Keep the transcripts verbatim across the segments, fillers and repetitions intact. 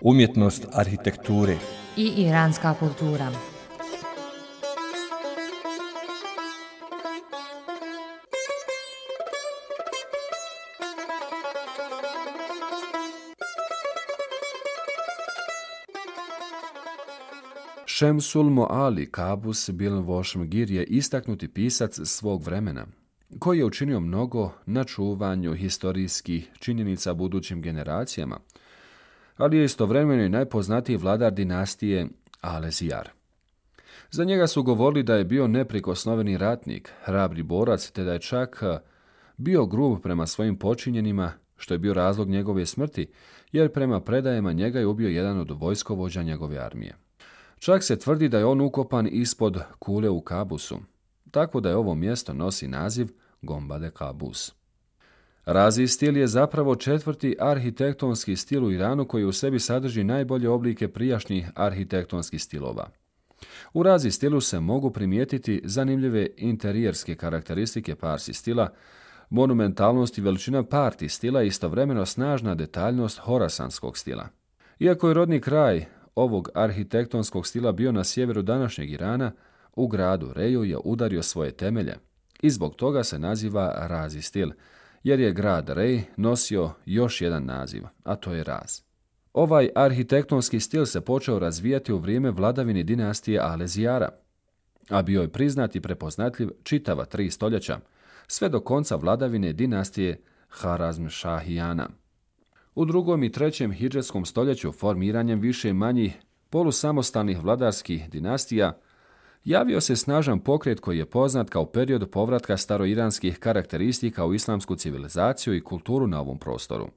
Umjetnost arhitekture i iranska kultura. Šemsul Moali Qabus bin Vošmgir je istaknuti pisac svog vremena, koji je učinio mnogo na čuvanju historijskih činjenica budućim generacijama, ali je istovremeno i najpoznatiji vladar dinastije Alezijar. Za njega su govorili da je bio neprikosnoveni ratnik, hrabri borac, te da je čak bio grub prema svojim počinjenima, što je bio razlog njegove smrti, jer prema predajama njega je ubio jedan od vojskovođa njegove armije. Čak se tvrdi da je on ukopan ispod kule u Kabusu, tako da je ovo mjesto nosi naziv Gombade Qabus. Razi stil je zapravo četvrti arhitektonski stil u Iranu koji u sebi sadrži najbolje oblike prijašnjih arhitektonskih stilova. U Razi stilu se mogu primijetiti zanimljive interijerske karakteristike Parsi stila, monumentalnost i veličina Parti stila i istovremeno snažna detaljnost horasanskog stila. Iako je rodni kraj ovog arhitektonskog stila bio na sjeveru današnjeg Irana, u gradu Reju je udario svoje temelje i zbog toga se naziva Razi stil, jer je grad Rej nosio još jedan naziv, a to je Raz. Ovaj arhitektonski stil se počeo razvijati u vrijeme vladavine dinastije Alezijara, a bio je priznat i prepoznatljiv čitava tri stoljeća, sve do konca vladavine dinastije Harazmšahijana. U drugom i trećem hidžetskom stoljeću formiranjem više manjih polusamostalnih vladarskih dinastija javio se snažan pokret koji je poznat kao period povratka staroiranskih karakteristika u islamsku civilizaciju i kulturu na ovom prostoru.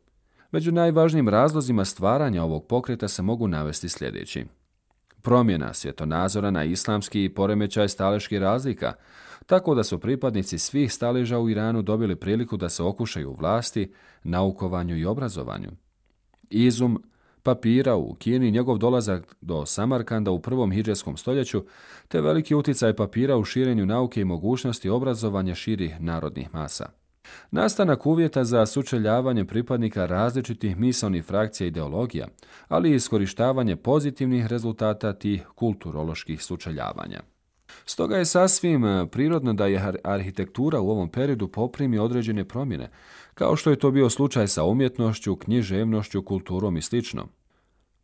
Među najvažnijim razlozima stvaranja ovog pokreta se mogu navesti sljedeći. Promjena svjetonazora na islamski i poremećaj staleških razlika, tako da su pripadnici svih staleža u Iranu dobili priliku da se okušaju u vlasti, naukovanju i obrazovanju. Izum papira u Kini, njegov dolazak do Samarkanda u prvom hidžetskom stoljeću, te veliki utjecaj papira u širenju nauke i mogućnosti obrazovanja širih narodnih masa. Nastanak uvjeta za sučeljavanje pripadnika različitih misaonih frakcija i ideologija, ali i iskorištavanje pozitivnih rezultata tih kulturoloških sučeljavanja. Stoga je sasvim prirodno da je arhitektura u ovom periodu poprimi određene promjene, kao što je to bio slučaj sa umjetnošću, književnošću, kulturom i sl.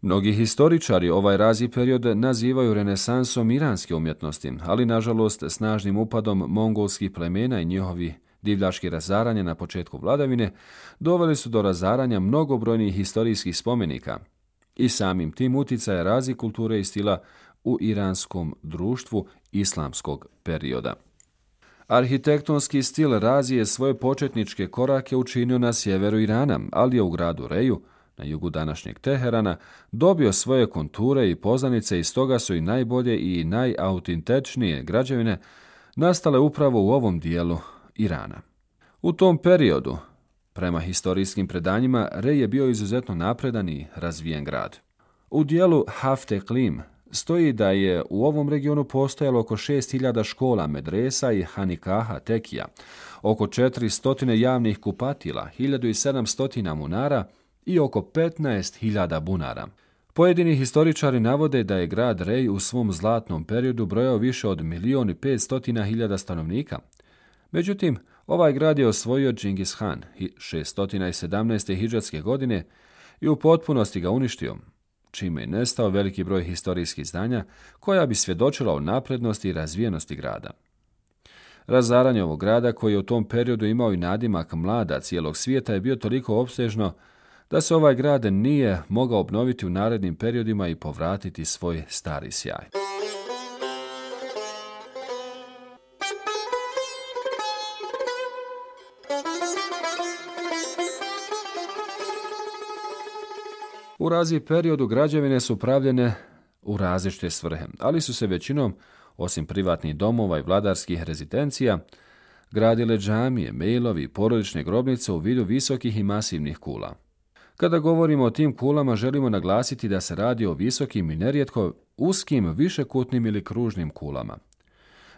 Mnogi historičari ovaj Razi period nazivaju renesansom iranske umjetnosti, ali nažalost snažnim upadom mongolskih plemena i njihovi divljački razaranja na početku vladavine doveli su do razaranja mnogobrojnih historijskih spomenika i samim tim utjecaja Razi kulture i stila u iranskom društvu islamskog perioda. Arhitektonski stil Razi je svoje početničke korake učinio na sjeveru Irana, ali je u gradu Reju, na jugu današnjeg Teherana, dobio svoje konture i poznanice i stoga su i najbolje i najautentičnije građevine nastale upravo u ovom dijelu Irana. U tom periodu, prema historijskim predanjima, Rej je bio izuzetno napredan i razvijen grad. U dijelu Hafteklim stoji da je u ovom regionu postojalo oko šest hiljada škola, medresa i hanikaha, tekija, oko četiristo javnih kupatila, hiljadu sedamsto munara i oko petnaest hiljada bunara. Pojedini historičari navode da je grad Rej u svom zlatnom periodu brojao više od milijun i petsto hiljada stanovnika. Međutim, ovaj grad je osvojio Džingis Han šesto sedamnaeste. hidžetske godine i u potpunosti ga uništio, čime je nestao veliki broj historijskih zdanja koja bi svjedočila o naprednosti i razvijenosti grada. Razaranje ovog grada, koji je u tom periodu imao i nadimak mlada cijelog svijeta, je bio toliko opsežno da se ovaj grad nije mogao obnoviti u narednim periodima i povratiti svoj stari sjaj. U Razi periodu građevine su pravljene u različite svrhe, ali su se većinom, osim privatnih domova i vladarskih rezidencija, gradile džamije, mejlovi i porodične grobnice u vidu visokih i masivnih kula. Kada govorimo o tim kulama, želimo naglasiti da se radi o visokim i nerijetko uskim višekutnim ili kružnim kulama.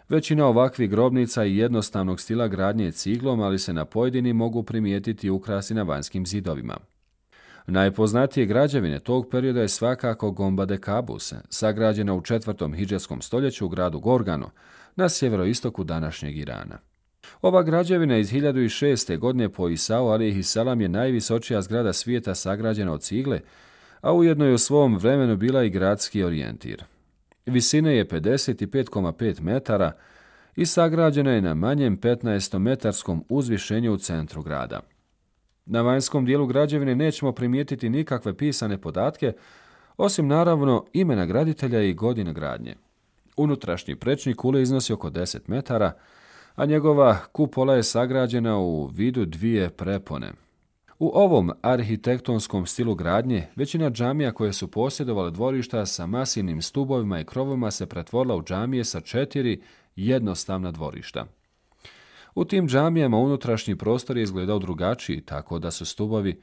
Većina ovakvih grobnica i jednostavnog stila gradnje je ciglom, ali se na pojedinim mogu primijetiti ukrasi na vanjskim zidovima. Najpoznatije građevine tog perioda je svakako Gomba de Kabus, sagrađena u četvrtom hidžetskom stoljeću u gradu Gorganu, na sjeveroistoku današnjeg Irana. Ova građevina iz hiljadu šeste. godine po Isau alejhi selam je najvisočija zgrada svijeta sagrađena od cigle, a ujedno je u svom vremenu bila i gradski orijentir. Visine je pedeset pet zarez pet metara i sagrađena je na manjem petnaestometarskom uzvišenju u centru grada. Na vanjskom dijelu građevine nećemo primijetiti nikakve pisane podatke, osim naravno imena graditelja i godine gradnje. Unutrašnji prečnik kule iznosi oko deset metara, a njegova kupola je sagrađena u vidu dvije prepone. U ovom arhitektonskom stilu gradnje većina džamija koje su posjedovale dvorišta sa masivnim stubovima i krovovima se pretvorila u džamije sa četiri jednostavna dvorišta. U tim džamijama unutrašnji prostor je izgledao drugačiji, tako da su stubovi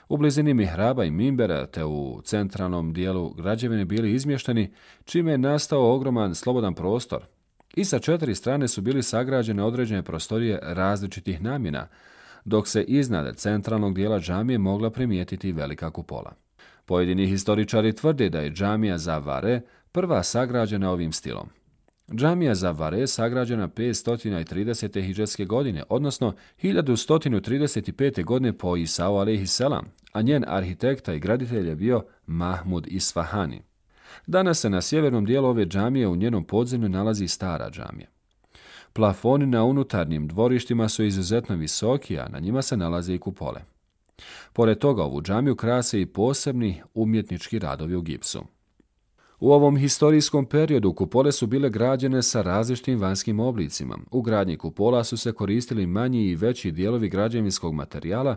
u blizini mihraba i mimbera te u centralnom dijelu građevine bili izmješteni, čime je nastao ogroman slobodan prostor. I sa četiri strane su bili sagrađene određene prostorije različitih namjena, dok se iznad centralnog dijela džamije mogla primijetiti velika kupola. Pojedini historičari tvrde da je džamija Zavare prva sagrađena ovim stilom. Džamija Zavare sagrađena petsto tridesete. hidžetske godine, odnosno hiljadu sto trideset pete. godine po Isau alejhi selam, a njen arhitekta i graditelj je bio Mahmud Isfahani. Danas se na sjevernom dijelu ove džamije u njenom podzemlju nalazi stara džamija. Plafoni na unutarnjim dvorištima su izuzetno visoki, a na njima se nalaze i kupole. Pored toga ovu džamiju krase i posebni umjetnički radovi u gipsu. U ovom historijskom periodu kupole su bile građene sa različitim vanjskim oblicima. U gradnji kupola su se koristili manji i veći dijelovi građevinskog materijala,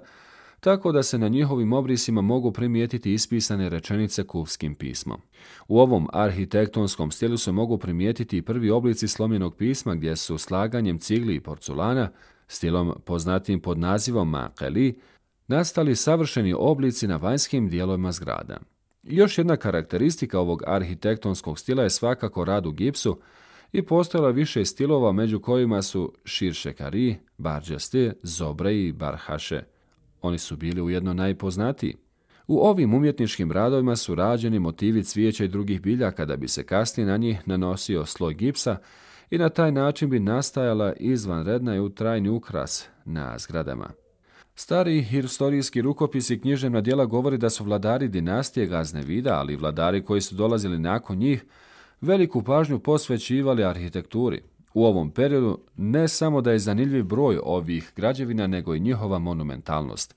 tako da se na njihovim obrisima mogu primijetiti ispisane rečenice kufskim pismom. U ovom arhitektonskom stilu se mogu primijetiti i prvi oblici slomljenog pisma gdje su slaganjem cigli i porculana, stilom poznatim pod nazivom makeli, nastali savršeni oblici na vanjskim dijelovima zgrada. Još jedna karakteristika ovog arhitektonskog stila je svakako rad u gipsu i postojalo više stilova među kojima su širšekari, barđaste, zobre i barhaše. Oni su bili ujedno najpoznatiji. U ovim umjetničkim radovima su rađeni motivi cvijeća i drugih biljaka da bi se kasnije na njih nanosio sloj gipsa i na taj način bi nastajala izvanredna i trajni ukras na zgradama. Stari historijski rukopisi i književna djela govori da su vladari dinastije Gaznevida, ali i vladari koji su dolazili nakon njih, veliku pažnju posvećivali arhitekturi. U ovom periodu ne samo da je zanimljiv broj ovih građevina, nego i njihova monumentalnost.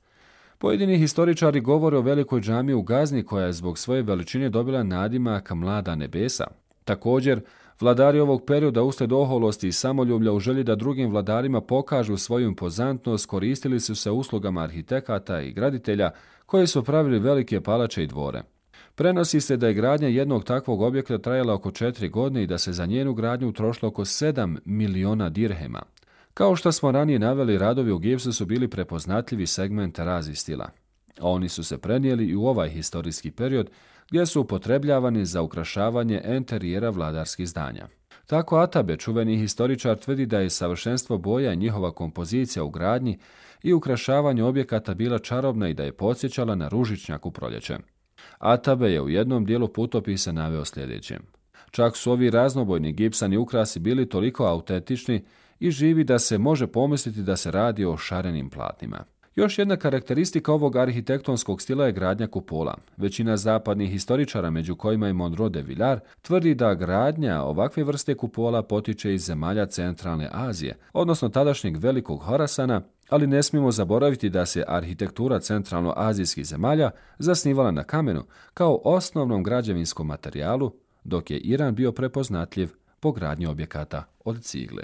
Pojedini historičari govore o velikoj džamiji u Gazni koja je zbog svoje veličine dobila nadimak Mlada nebesa. Također, vladari ovog perioda uslijed oholosti i samoljublja u želji da drugim vladarima pokažu svoju impozantnost koristili su se uslugama arhitekata i graditelja koji su pravili velike palače i dvore. Prenosi se da je gradnja jednog takvog objekta trajala oko četiri godine i da se za njenu gradnju utrošilo oko sedam miliona dirhema. Kao što smo ranije naveli, radovi u gipsu su bili prepoznatljivi segment razi stila. A oni su se prenijeli i u ovaj historijski period gdje su upotrebljavani za ukrašavanje enterijera vladarskih zdanja. Tako Atabe, čuveni historičar, tvrdi da je savršenstvo boja i njihova kompozicija u gradnji i ukrašavanju objekata bila čarobna i da je podsjećala na ružičnjak u proljeće. Atabe je u jednom dijelu putopisa naveo sljedeće. Čak su ovi raznobojni gipsani ukrasi bili toliko autentični i živi da se može pomisliti da se radi o šarenim platnima. Još jedna karakteristika ovog arhitektonskog stila je gradnja kupola. Većina zapadnih historičara, među kojima je Monroe de Villar, tvrdi da gradnja ovakve vrste kupola potiče iz zemalja centralne Azije, odnosno tadašnjeg velikog Horasana, ali ne smijemo zaboraviti da se arhitektura centralnoazijskih zemalja zasnivala na kamenu kao osnovnom građevinskom materijalu, dok je Iran bio prepoznatljiv po gradnji objekata od cigle.